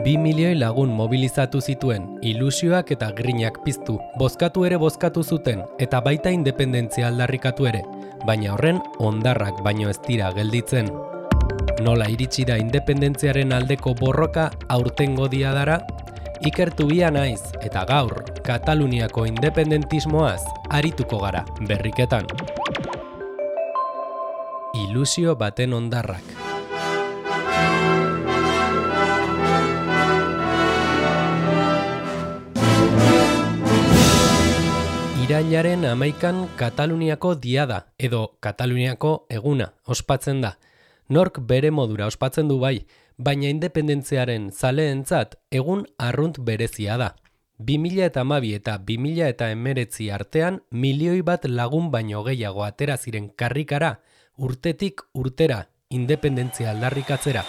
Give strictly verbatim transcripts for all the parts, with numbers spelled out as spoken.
Bi milioi lagun mobilizatu zituen, ilusioak eta grinak piztu, bozkatu ere bozkatu zuten, eta baita independentzia aldarrikatu ere, baina horren hondarrak baino ez dira gelditzen. Nola iritsi da independentziaren aldeko borroka aurtengo diadara? Ikertu bia naiz, eta gaur, Kataluniako independentismoaz arituko gara berriketan. Ilusio baten hondarrak. Irailaren hamaikan Kataluniako diada, edo Kataluniako eguna, ospatzen da. Nork bere modura ospatzen du bai, baina independentziaren zaleentzat egun arrunt berezia da. bi mila hamabi eta bi mila hemeretzi artean milioi bat lagun baino gehiago atera ziren karrikara, urtetik urtera, independentzia aldarrikatzera.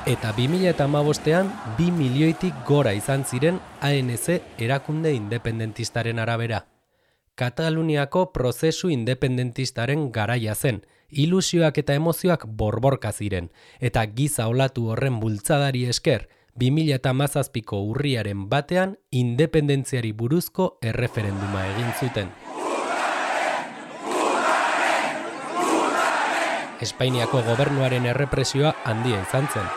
Eta bi mila hamabostean bi milioitik gora izan ziren A N C erakunde independentistaren arabera. Kataluniako prozesu independentistaren garaia zen, ilusioak eta emozioak borborka ziren, eta giza olatu horren bultzadari esker, bi mila hamazazpiko urriaren batean independentziari buruzko erreferenduma egin zuten. Espainiako gobernuaren errepresioa handia izan zen.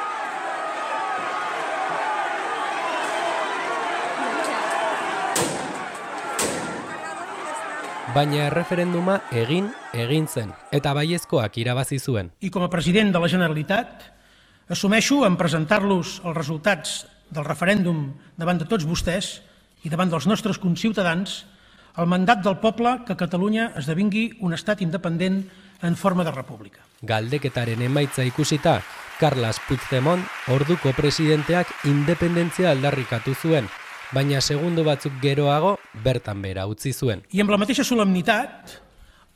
Baina erreferenduma egin, egin zen, eta baiezkoak irabazi zuen. I com a president de la Generalitat, assumeixo en presentar-los els resultats del referèndum davant de tots vostès i davant dels nostres conciutadans el mandat del poble que Catalunya esdevingui un estat independent en forma de república. Galdeketaren emaitza ikusita, Carles Puigdemont, orduko presidenteak independentzia aldarrikatu zuen, baina segundo batzuk geroago bertan bera utzi zuen. I amb la mateixa solemnitat,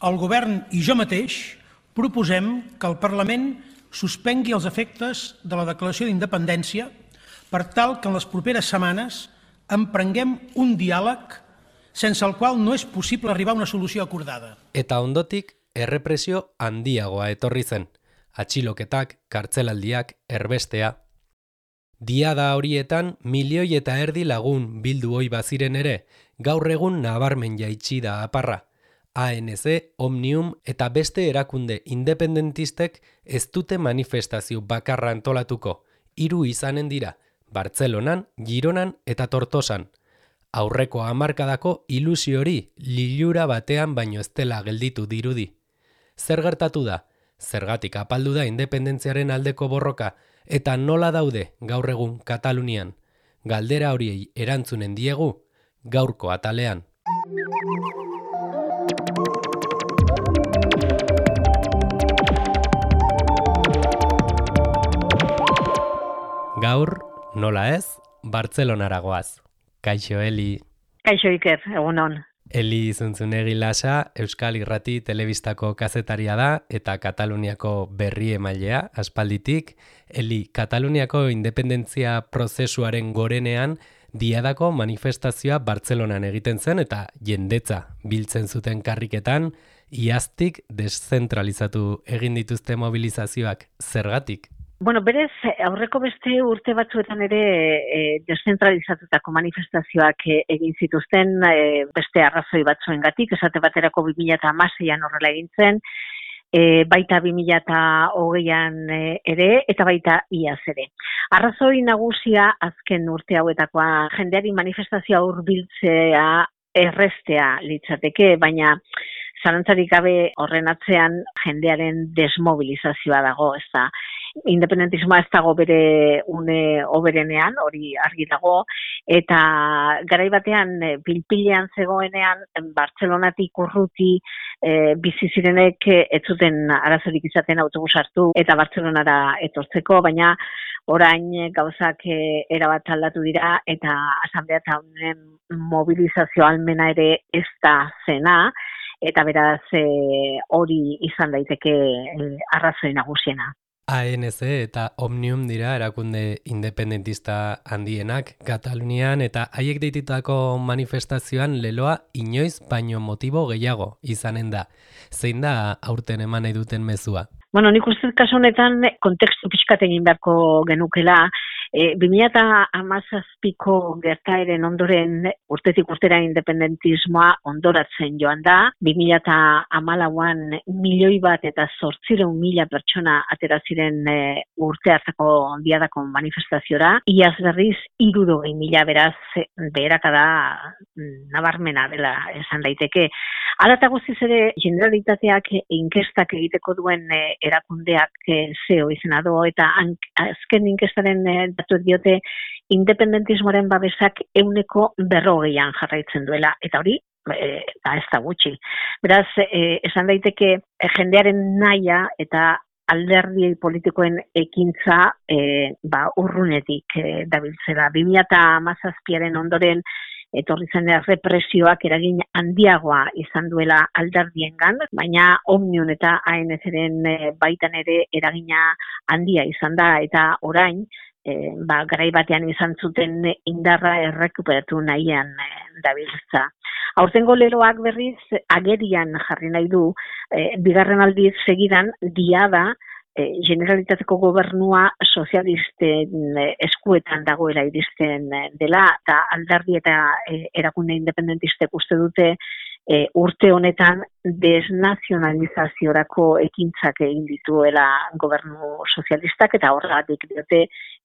el govern i jo mateix proposem que el Parlament suspengui els efectes de la declaració d'independència per tal que en les properes setmanes emprenguem un diàleg sense el qual no és possible arribar a una solució acordada. Eta ondotik, errepresio handiagoa etorri zen. Atxiloketak, kartzelaldiak, erbestea. Diada horietan milioi eta erdi lagun bildu ohi baziren ere, gaur egun nabarmen jaitsi da aparra. A N C, Omnium eta beste erakunde independentistek ez dute manifestazio bakarra antolatuko. Hiru izanen dira, Bartzelonan, Gironan eta Tortosan. Aurreko hamarkadako ilusio hori lilura batean baino ez dela gelditu dirudi. Zer gertatu da? Zergatik apaldu da independentziaren aldeko borroka, eta nola daude gaur egun Katalunian? Galdera horiei erantzunen diegu gaurko atalean. Gaur, nola ez, Bartzelonara goaz. Kaixo, Eli. Kaixo, Iker, egunon. Eli Zuntzunegi Lasa, Euskal Irrati telebistako kazetaria da eta Kataluniako berri emailea aspalditik. Eli, Kataluniako independentzia prozesuaren gorenean diadako manifestazioa Bartzelonan egiten zen eta jendetza biltzen zuten karriketan, iaztik deszentralizatu egin dituzte mobilizazioak. Zergatik? Bueno, berez, aurreko beste urte batzuetan ere e, deszentralizatutako manifestazioak e, egin zituzten e, beste arrazoi batzuengatik, esate baterako bi mila hamaseian horrela egin zen, e, baita bi mila hogeian e, ere, eta baita iaz ere. Arrazoi nagusia azken urte hauetakoa jendeari manifestazioa hurbiltzea errestea litzateke, baina zalantzarik gabe horren atzean jendearen desmobilizazioa dago, ez da. Independentismoa ez dago bere une oberenean, hori argi dago, eta garai batean pilpilean zegoenean Bartzelonatik urruti e, bizi zirenek ez zuten arazorik izaten autobus hartu eta Bartzelonara etortzeko, baina orain gauzak e, erabat aldatu dira eta asanblea eta honen mobilizazio almena ere ez da zena, eta beraz e, hori izan daiteke e, arrazoi nagusiena. A N C eta Omnium dira erakunde independentista handienak Katalunian eta haiek deitutako manifestazioan leloa inoiz baino motibo gehiago izanen da. Zein da aurten eman nahi duten mezua? Bueno, nik uste kasu honetan kontekstu pixkat egin beharko genukela. E, bi mila hamazazpiko gertaeren ondoren urtetik urtera independentismoa ondoratzen joan da. bi mila hamalauan milioi bat eta zortziehun mila pertsona atera ziren e, urte hartako diadako manifestaziora. Iaz berriz hirurogei mila, beraz beherakada nabarmena dela esan daiteke. Hala eta guztiz ere Generalitateak inkestak egiteko duen e, erakundeak e, zeo izena do eta azken inkestaren e, datuek diote independentismoaren babesak ehuneko berrogeian jarraitzen duela, eta hori e, da ez da gutxi. Beraz, e, esan daiteke e, jendearen nahia eta alderdi politikoen ekintza e, ba, urrunetik e, dabiltzela. bi mila hamazazpiaren ondoren etorri zen represioak eragin handiagoa izan duela alderdiengan, baina Omnium eta A N C-ren e, baitan ere eragina handia izan da, eta orain E, ba, garai batean izan zuten indarra errekuperatu nahian e, dabiltza. Aurtengo leloak berriz agerian jarri nahi du, e, bigarren aldiz segidan diada e, Generalitateko gobernua sozialisten e, eskuetan dagoela iristen dela, eta alderdi eta e, erakunde independentistek uste dute E, urte honetan desnazionalizaziorako ekintzak egin dituela gobernu sozialistak, eta horregatik diote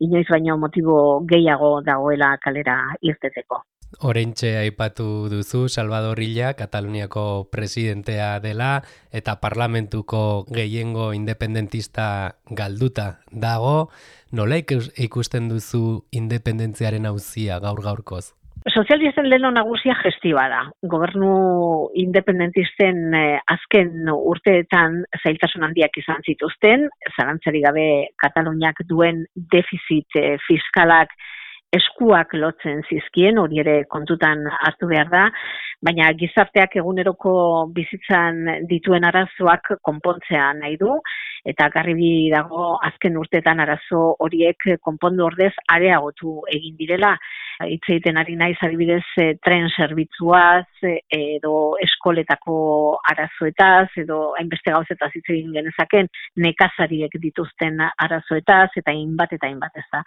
inoiz baino motibo gehiago dagoela kalera irteteko. Oraintxe aipatu duzu Salvador Illa, Kataluniako presidentea dela eta parlamentuko gehiengo independentista galduta dago. Nola ikusten duzu independentziaren auzia gaur gaurkoz? Sozialisten leheno nagusia gestioa da. Gobernu independentisten eh, azken urteetan zailtasun handiak izan zituzten, zalantzari gabe Kataluniak duen defizit eh, fiskalak eskuak lotzen zizkien, hori ere kontutan hartu behar da, baina gizarteak eguneroko bizitzan dituen arazoak konpontzea nahi du, eta garbi dago azken urteetan arazo horiek konpondu ordez areagotu egin direla. Hitz egiten ari naiz adibidez tren zerbitzuaz, edo eskoletako arazoetaz, edo hainbeste gauzetaz hitz egin genezaken nekazariek dituzten arazoetaz, eta hainbat eta hainbat ez da.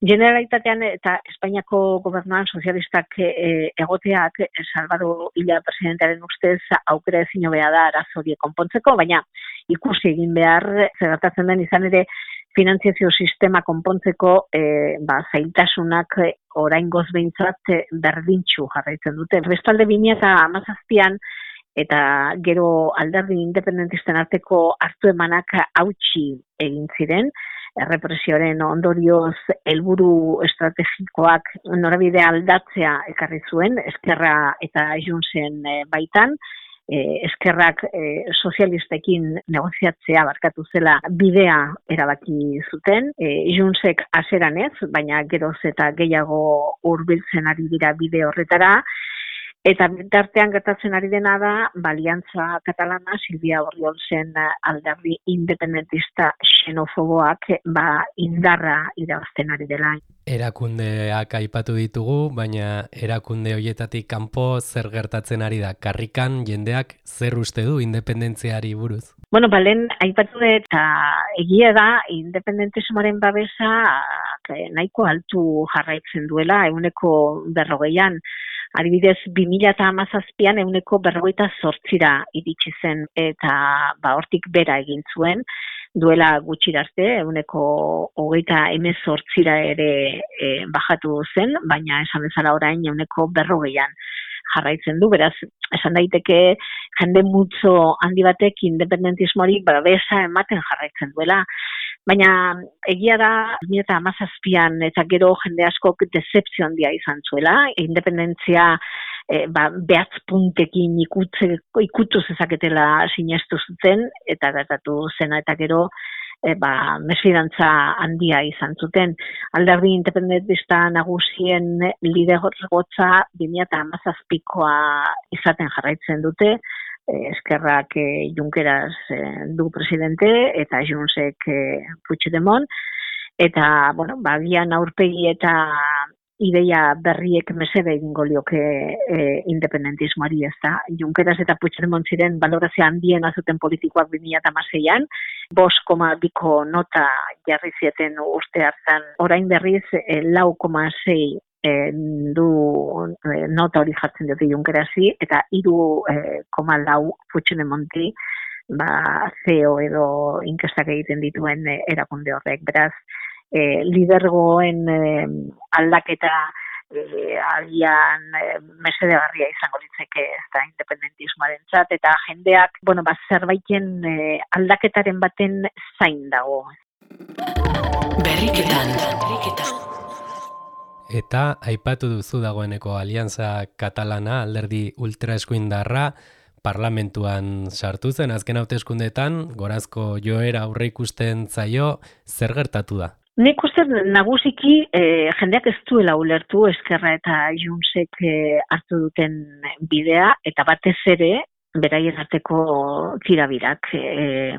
Generalitatean eta Espainiako gobernuan sozialistak e, egoteak Salvador Illa presidentearen ustez aukera ezin hobea da arazo horiek konpontzeko, baina ikusi egin behar zer gertatzen den, izan ere finantziazio sistema konpontzeko e, ba, zailtasunak oraingoz behintzat berdintsu jarraitzen dute. Bestalde bi mila hamazazpian eta gero alderdi independentisten arteko hartu emanak hautsi egin ziren, errepresioaren ondorioz helburu estrategikoak norabide aldatzea ekarri zuen, Eskerra eta Juntzen baitan. E, eskerrak e, sozialistekin negoziatzea barkatu zela bidea erabaki zuten. E, Juntzek hasieran ez, baina geroz eta gehiago hurbiltzen ari dira bide horretara. Eta bitartean gertatzen ari dena da, Aliantza Katalana, Silvia Orriolzen alderdi independentista xenofoboak ba, indarra irabazten ari dela. Erakundeak aipatu ditugu, baina erakunde hoietatik kanpo zer gertatzen ari da? Karrikan jendeak zer uste du independentziari buruz? Bueno, balen aipatu dut, eta egia da, independentismoaren babesa nahiko altu jarraitzen duela, ehuneko berrogeian. Adibidez, bi mila hamazazpian ehuneko berrogeita zortzira iritsi zen, eta ba, hortik bera egin zuen, duela gutxi arte, ehuneko hogeita hemezortzira ere e, bajatu zen, baina esan bezala orain ehuneko berrogeian jarraitzen du, beraz, esan daiteke jende multzo handi batek independentismoari babesa ematen jarraitzen duela. Baina egia da, bi mila hamazazpian eta gero jende askok dezepzio handia izan zuela, independentzia e, ba, behatz puntekin ikutze, ikutu zezaketela sinestu zuten, eta gertatu zena eta gero e, ba, mesfidantza handia izan zuten. Alderdi independentista nagusien lidergotza bi mila hamazazpikoa izaten jarraitzen dute, Eskerrak eh, Junqueras eh, du presidente eta Juntsek eh, Puigdemont, eta, bueno, bagian aurpegi eta ideia berriek mesede egingo lioke e, independentismoari, ez da. Junqueras eta Puigdemont ziren balorazio handien azuten politikoak bi mila hamaseian, bost koma biko nota jarri zieten urte hartan, orain berriz e, lau koma sei e, du e, nota hori jartzen dute Junquerasi, eta hiru koma lau Puigdemonti, ba, C E O edo inkestak egiten dituen e, erakunde horrek, beraz, E, lidergoen e, aldaketa e, agian e, mesedegarria izango litzeke ez da independentismoarentzat, eta jendeak, bueno, ba, zerbaiten e, aldaketaren baten zain dago. Berriketan. Eta aipatu duzu dagoeneko Alianza Katalana, alderdi ultraeskuindarra, parlamentuan sartu zen azken hauteskundeetan, gorazko joera aurre ikusten zaio, zer gertatu da? Nik uste nagusiki eh, jendeak ez duela ulertu Eskerra eta Juntsek eh, hartu duten bidea, eta batez ere beraien arteko tirabirak. Eh,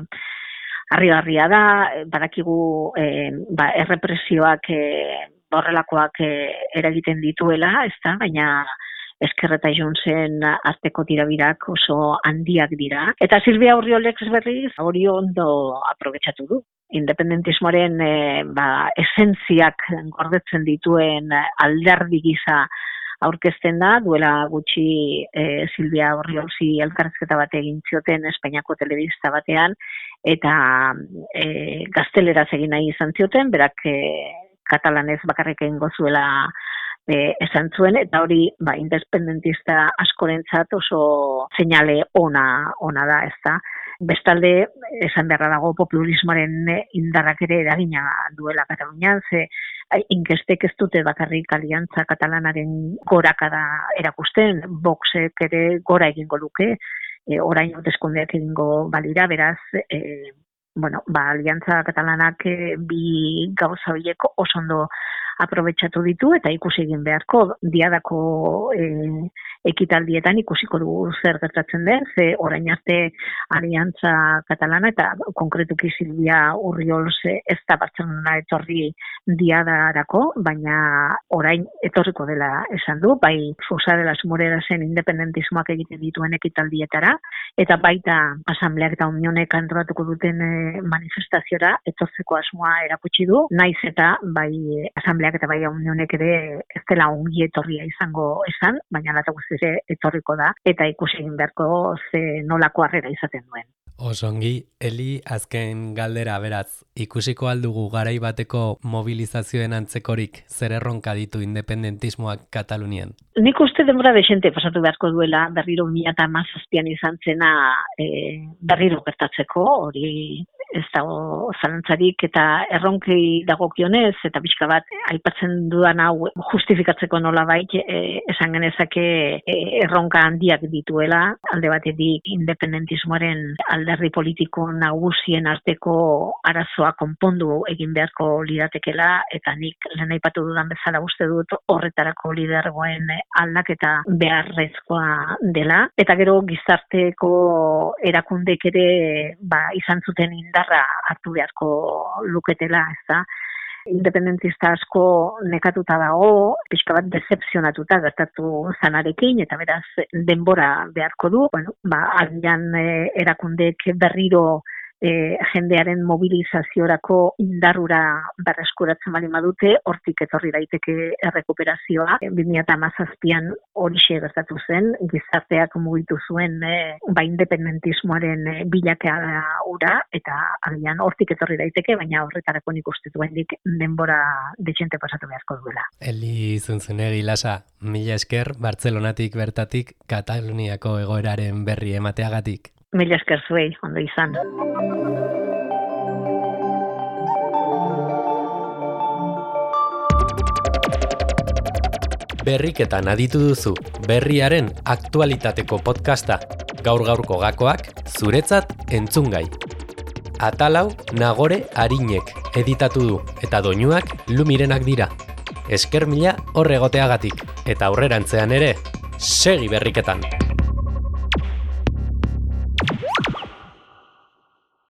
Harrigarria da, badakigu eh, ba, errepresioak eh, horrelakoak eh, eragiten dituela, ez da, baina Eskerra eta Juntsen arteko tirabirak oso handiak dira. Eta Silvia Urriolek berriz hori ondo aprobetxatu du. Independentismoaren e, ba, esentziak gordetzen dituen alderdi gisa aurkezten da, duela gutxi e, Silvia Urriolzi elkarrizketa bat egin zioten Espainiako telebista batean, eta e, gazteleraz egin nahi izan zioten, berak e, katalanez bakarrik egingo zuela E, esan zuen, eta hori ba, independentista askorentzat oso seinale ona, ona da, ez da. Bestalde, esan beharra dago populismoaren indarrak ere eragina duela Katalunian, ze inkestek ez dute bakarrik Aliantza Katalanaren gorakada erakusten, Voxek ere gora egingo luke, e, orain hauteskundeak egingo balira, beraz, e, bueno, ba, Aliantza Katalanak e, bi gauza horiek oso ondo aprobetxatu ditu, eta ikusi egin beharko diadako e, ekitaldietan ikusiko dugu zer gertatzen den, ze orain arte Aliantza Katalana eta konkretuki Silvia Urriols ez da Bartzelona etorri diadarako, baina orain etorriko dela esan du, bai Fusa de las Morerasen independentismoak egiten dituen ekitaldietara, eta baita asambleak eta unionek antolatuko duten e, manifestaziora etortzeko asmoa erakutsi du, naiz eta bai asambleak eta bai unionek ere ez dela ongi etorria izango esan, baina lata guztiz ere etorriko da, eta ikusi egin beharko ze nolako harrera izaten duen. Osongi, Eli, azken galdera, beraz, ikusiko aldugu garai bateko mobilizazioen antzekorik zer erronka ditu independentismoak Katalunian? Nik uste denbora desente pasatu beharko duela berriro mila hamazazpian izan zena e, berriro gertatzeko, hori ez dago zalantzarik, eta erronkei dagokionez, eta pixka bat aipatzen dudan hau justifikatzeko nolabait e, esan genezake e, erronka handiak dituela, alde batetik independentismoaren alderdi politiko nagusien arteko arazoa konpondu egin beharko liratekela, eta nik lehen aipatu dudan bezala uste dut horretarako lidergoen aldaketa beharrezkoa dela, eta gero gizarteko erakundek ere ba, izan zuten indarra hartu beharko luketela, ez da. Independentista asko nekatuta dago, pixka bat decepzionatuta gertatu zanarekin, eta beraz denbora beharko du, bueno, ba, agian e, erakundek berriro e, jendearen mobilizaziorako indarrura berreskuratzen bali madute, hortik etorri daiteke errekuperazioa. bi mila hamazazpian horixe gertatu zen, gizarteak mugitu zuen e, ba, independentismoaren e, bilakaera ura, eta agian hortik etorri daiteke, baina horretarako nik uste duendik denbora detxente pasatu beharko duela. Eli Zunzunegi Lasa, mila esker, Bartzelonatik bertatik Kataluniako egoeraren berri emateagatik. Mila esker zuei, ondo izan. Berriketan aditu duzu, berriaren aktualitateko podcasta, gaur-gaurko gakoak, zuretzat entzungai. Atalau Nagore Arinek editatu du, eta doinuak Lumirenak dira. Esker mila horregoteagatik, eta aurrerantzean ere, segi berriketan!